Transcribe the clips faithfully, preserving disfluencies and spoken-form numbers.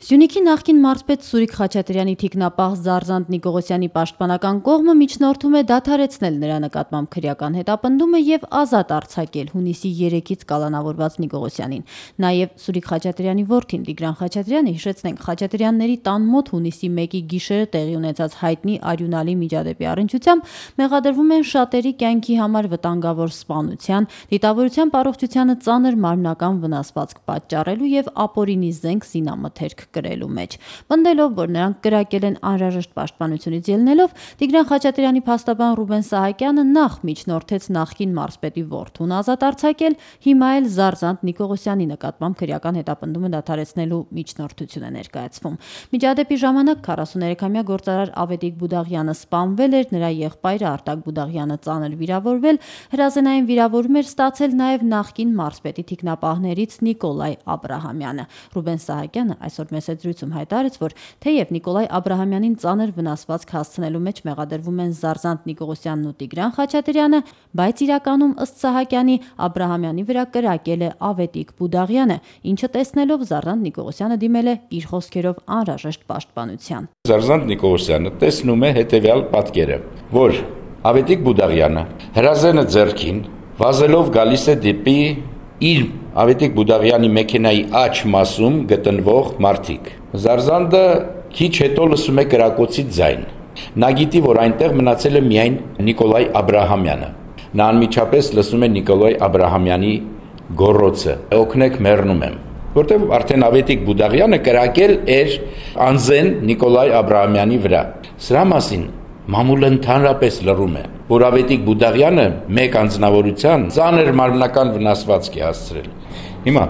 Սյունիքի նախկին մարզպետ Սուրիկ Խաչատրյանի թիկնապահ Զարզանտ Նիկողոսյանի պաշտպանական կողմը միջնորդում է դադարեցնել նրա նկատմամբ քրեական հետապնդումը եւ ազատ արձակել հունիսի երեքից կալանավորված Նիկողոսյանին։ Նաեւ Սուրիկ Խաչատրյանի որդին Տիգրան Խաչատրյանը, հիշեցնենք, Խաչատրյանների տան մոտ հունիսի մեկի գիշերը տեղի ունեցած հայտնի արյունալի միջադեպի առնչությամբ մեղադրվում են շատերի կյանքի համար վտանգավոր սպանության, դիտավորության առողջությանը ծանր մարմնական վնասվածք պատճառելու եւ ապօրինի զենք զինամթերք կրելու մեջ։ Պնդելով, որ նրանք կրակել են անհրաժեշտ պաշտպանությունից ելնելով, Տիգրան Խաչատրյանի փաստաբան Ռուբեն Սահակյանը նախ միջնորդեց նախկին մարզպետի որդուն ազատ արձակել, հիմա էլ Զարզանտ Նիկողոսյանի նկատմամբ քրեական հետապնդումը դադարեցնելու միջնորդություն է ներկայացվում։ Միջադեպի ժամանակ քառասուներեքամյա գործարար Ավետիք Բուդաղյանը սպանվել էր, նրա եղբայրը Արտակ Բուդաղյանը ծանր վիրավորվել, հրազենային վիրավորում էր ստացել նաև նախկին մարզպետի թիկնապահներից Նիկոլայ Աբրահամյանը։ Ռուբեն Սահակյանը այսօր մեծ զրույցում հայտարարեց, որ թեև Նիկոլայ Աբրահամյանին ծանր վնասվածք հասցնելու մեջ մեղադրվում են Զարզանտ Նիկողոսյանն ու Տիգրան Խաչատրյանը, բայց իրականում ըստ Սահակյանի Աբրահամյանի վրա կրակել է Ավետիք Բուդաղյանը, ինչը տեսնելով Զարզանտ Նիկողոսյանը դիմել է իր խոսքերով անհրաժեշտ պաշտպանության։ Զարզանտ Նիկողոսյանը տեսնում է հետևյալ պատկերը, որ Ավետիք Բուդաղյանը հրազենը ձեռքին վազելով գալիս է դեպի իր Ավետիք Բուդաղյանի մեքենայի աջ մասում գտնվող մարդիկ։ Զարզանդը քիչ հետո լսում է կրակոցի ձայն։ Նա գիտի, որ այնտեղ մնացել է միայն Նիկոլայ Աբրահամյանը։ Նա անմիջապես լսում է Նիկոլայ Աբրահամյանի գոռոցը. «Օգնեք, մեռնում եմ», որտեղ արդեն Ավետիք Բուդաղյանը կրակել էր անզեն Նիկոլայ Աբրահամյանի վրա։ Սրա մասին մամուլը ընդհանրապես լռում է, որ Ավետիք Բուդաղյանը մեկ անձնավորության ծանր մարմնական վնասվածք է հասցրել։ Հիմա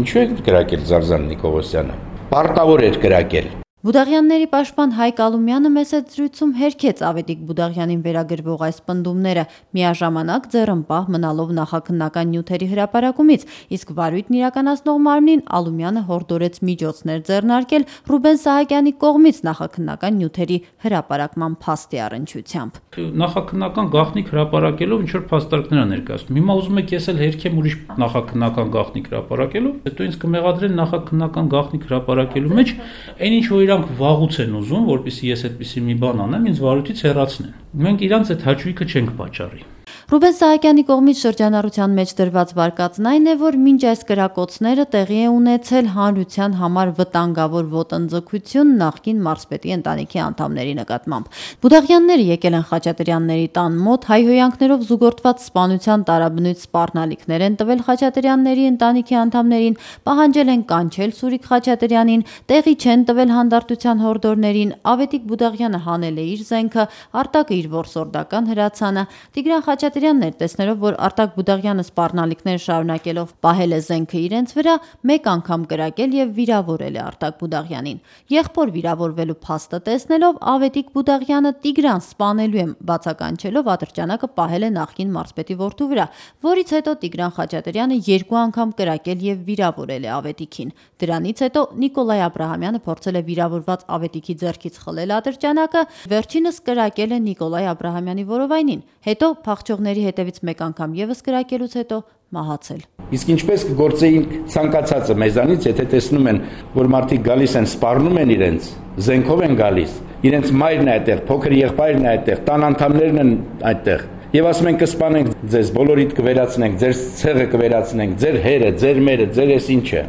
ինչու է կրակել Զարզանտ Նիկողոսյանը։ Պարտավոր էր կրակել։ Բուդաղյանների պաշտպան Հայկ Ալումյանը մեծ զրույցում հերքեց Ավետիք Բուդաղյանին վերագրվող այս պնդումները, միաժամանակ ձեռնպահ մնալով նախաքննական նյութերի հրապարակումից, իսկ վարույթն իրականացնող մարմնին Ալումյանը հորդորեց միջոցներ ձեռնարկել Ռուբեն Սահակյանի կողմից նախաքննական նյութերի հրապարակման փաստի առնչությամբ։ Նախաքննական գաղտնիք հրապարակելով ինչ որ փաստարկներ ներկայացնում։ Հիմա ուզում եք ես էլ հերքեմ ուրիշ նախաքննական գաղտնիք հրապարակելով, հետո ինձ կմեղադրեն նախաքննական գաղտնիք հրապարակելու մեջ այն ինչ որ իրանք վաղուց են ուզում, որպեսզի ես այդպիսի մի բան անեմ, ինձ վարույթից հեռացնեն։ Մենք իրանց այդ հաճույքը չենք պատճառի։ Ռուբեն Սահակյանի կողմից շրջանառության մեջ դրված վարկածն այն է, որ մինչ այս կրակոցները տեղի է ունեցել հանրության համար վտանգավոր ոտնձգություն նախկին մարզպետի ընտանիքի անդամների նկատմամբ։ Բուդաղյանները եկել են Խաչատրյանների տան մոտ, հայհոյանքներով զուգորդված սպանության տարաբնույթ սպառնալիքներ են տվել Խաչատրյանների ընտանիքի անդամներին, պահանջել են կանչել Սուրիկ Խաչատրյանին, տեղի չեն տվել հանդարտության հորդորներին, Ավետիք Բուդաղյանը հանել է իր զենքը, Արտակը իր որսորդական հրացանը, Տիգրան Խաչատրյանն էր տեսնելով, որ Արտակ Բուդաղյանը սպառնալիքներ շարունակելով պահել է զենքը իրենց վրա, մեկ անգամ կրակել եւ վիրավորել է Արտակ Բուդաղյանին։ Եղբոր վիրավորվելու փաստը տեսնելով Ավետիք Բուդաղյանը Տիգրան սպանելու է բացականչելով ատրճանակը պահել է նախկին մարզպետի որդու վրա, որից հետո Տիգրան Խաչատրյանը երկու անգամ կրակել եւ վիրավորել է Ավետիքին։ Դրանից հետո Նիկոլայ Աբրահամյանը փորձել է վիրավորված Ավետիքի ձեռքից խլել ատրճանակը, վերջինս կրակել է Նիկոլայ Աբրահամյանի որովայնին, հետո փախչողների հետևից մեկ անգամ եւս կրակելուց հետո մահացել։ Իսկ ինչպես կգործեին ցանկացածը մեզանից, եթե տեսնում են, որ մարդիկ գալիս են, սպառնում են իրենց, զենքով են գալիս, իրենց մայրն է այդտեղ, փոքր եղբայրն է այդտեղ, տան անդամներն են այդտեղ, եւ ասում են կսպանենք ձեզ, բոլորիդ կվերացնենք, ձեր ցեղը կվերացնենք, ձեր հերը, ձեր մերը, ձեր էս ինչը։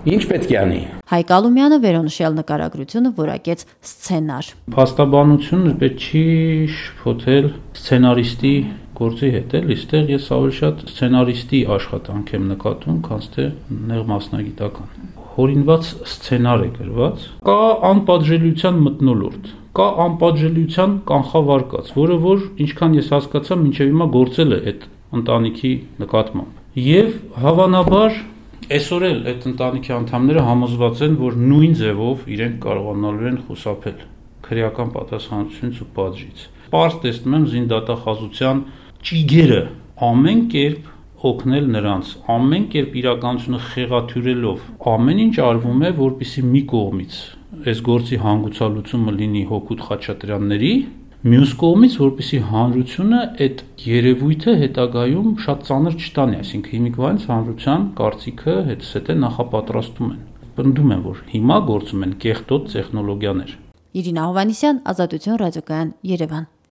Ինչ պետք է անի։ Հայկ Ալումյանը վերոնշյալ նկարագրությունը որակեց սցենար։ Փաստաբանությունը պետք չի շփոթել սցենարիստի գործի հետ, էլ իստեղ ես ավելի շատ սցենարիստի աշխատանք եմ նկատում, քան թե նեղ մասնագիտական։ Հորինված սցենար է գրված, կա անպատժելիության մթնոլորտ, կա անպատժելիության կանխավարկած, որը որ ինչքան ես հասկացա, մինչև հիմա գործել է այդ ընտանիքի նկատմամբ։ Եվ հավանաբար այսօր էլ այդ ընտանիքի անդամները համոզված են, որ նույն ձևով իրենք կարողանալու են խուսափել քրեական պատասխանատվությունից ու պատժից։ Պարզ տեսնում եմ զինդատախազության ճիգերը ամեն կերպ օգնել նրանց, ամեն կերպ իրականությունը խեղաթյուրելով, ամեն ինչ արվում է, որպեսզի մի կողմից այս գործի հանգուցալուծումը լինի Հոկուտ Խաչատրյանների, մյուս կողմից, որպեսզի հանրությունը այդ երևույթը հետագայում շատ ծանր չտանի, այսինքն հիմիկվանից հանրության կարծիքը հետսեթե նախապատրաստում են։ Պնդում եմ, որ հիմա գործում են կեղտոտ տեխնոլոգիաներ։ Իրինա Հովհաննիսյան, Ազատություն ռադիոկայան, Երևան։